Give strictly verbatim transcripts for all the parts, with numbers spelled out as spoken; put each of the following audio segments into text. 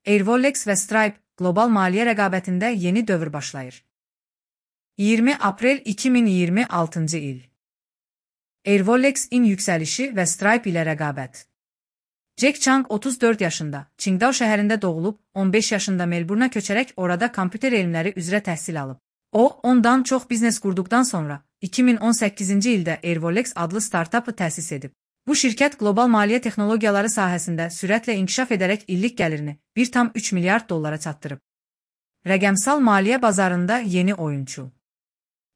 Airvolex və Stripe, qlobal maliyyə rəqabətində yeni dövr başlayır. iyirmi aprel iki min iyirmi altıncı il. Airvolex-in yüksəlişi və Stripe ilə rəqabət. Jack Chang otuz dörd yaşında, Qingdao şəhərində doğulub, on beş yaşında Melburna köçərək orada kompüter elmləri üzrə təhsil alıb. O, ondan çox biznes qurduqdan sonra, iki min on səkkizinci ildə Airvolex adlı startapı təsis edib. Bu şirkət qlobal maliyyə texnologiyaları sahəsində sürətlə inkişaf edərək illik gəlirini bir tam üç milyard dollara çatdırıb. Rəqəmsal maliyyə bazarında yeni oyunçu.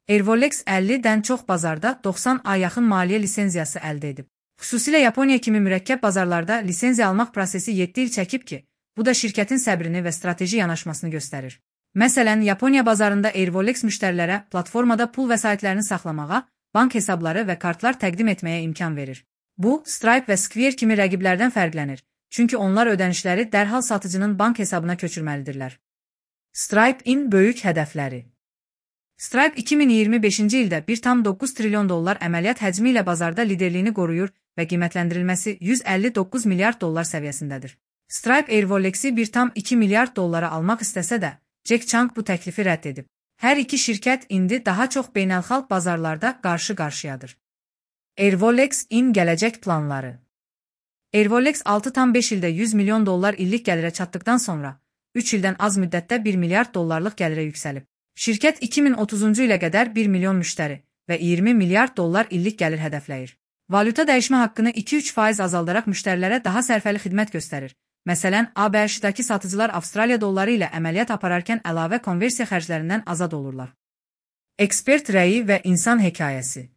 Airvolex əllidən çox bazarda doxsan a yaxın maliyyə lisenziyası əldə edib. Xüsusilə Yaponiya kimi mürəkkəb bazarlarda lisenziya almaq prosesi yeddi il çəkib ki, bu da şirkətin səbrini və strateji yanaşmasını göstərir. Məsələn, Yaponiya bazarında Airvolex müştərilərə platformada pul vəsaitlərini saxlamağa, bank hesabları və kartlar təqdim etməyə imkan verir. Bu, Stripe və Square kimi rəqiblərdən fərqlənir, çünki onlar ödənişləri dərhal satıcının bank hesabına köçürməlidirlər. Stripe-in böyük hədəfləri. Stripe iki min iyirmi beşinci ildə bir tam doqquz trilyon dollar əməliyyat həcmi ilə bazarda liderliyini qoruyur və qiymətləndirilməsi yüz əlli doqquz milyard dollar səviyyəsindədir. Stripe Airvolex'i bir tam iki milyard dollara almaq istəsə də, Jack Chang bu təklifi rədd edib. Hər iki şirkət indi daha çox beynəlxalq bazarlarda qarşı-qarşıyadır. Airvolex-in gələcək planları. Airvolex altı tam beş ildə yüz milyon dollar illik gəlirə çatdıqdan sonra, üç ildən az müddətdə bir milyard dollarlıq gəlirə yüksəlib. Şirkət iki min otuzuncu ilə qədər bir milyon müştəri və iyirmi milyard dollar illik gəlir hədəfləyir. Valyuta dəyişmə haqqını iki üç faiz azaldaraq müştərilərə daha sərfəli xidmət göstərir. Məsələn, A B Ş-dakı satıcılar Avstraliya dolları ilə əməliyyat apararkən əlavə konversiya xərclərindən azad olurlar. Ekspert rəyi və insan hekayəsi.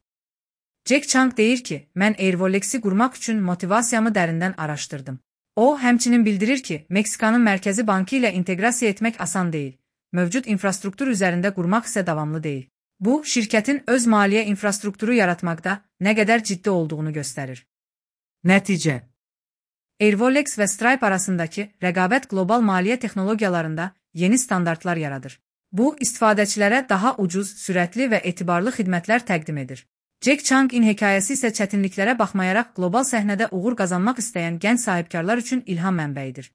Jack Chang deyir ki, mən Airvolex'i qurmaq üçün motivasiyamı dərindən araşdırdım. O, həmçinin bildirir ki, Meksikanın Mərkəzi Bankı ilə inteqrasiya etmək asan deyil. Mövcud infrastruktur üzərində qurmaq isə davamlı deyil. Bu, şirkətin öz maliyyə infrastrukturu yaratmaqda nə qədər ciddi olduğunu göstərir. Nəticə. Airvolex və Stripe arasındakı rəqabət qlobal maliyyə texnologiyalarında yeni standartlar yaradır. Bu, istifadəçilərə daha ucuz, sürətli və etibarlı xidmətlər təqdim edir. Jack Chang'in hekayəsi isə çətinliklərə baxmayaraq qlobal səhnədə uğur qazanmaq istəyən gənc sahibkarlar üçün ilham mənbəyidir.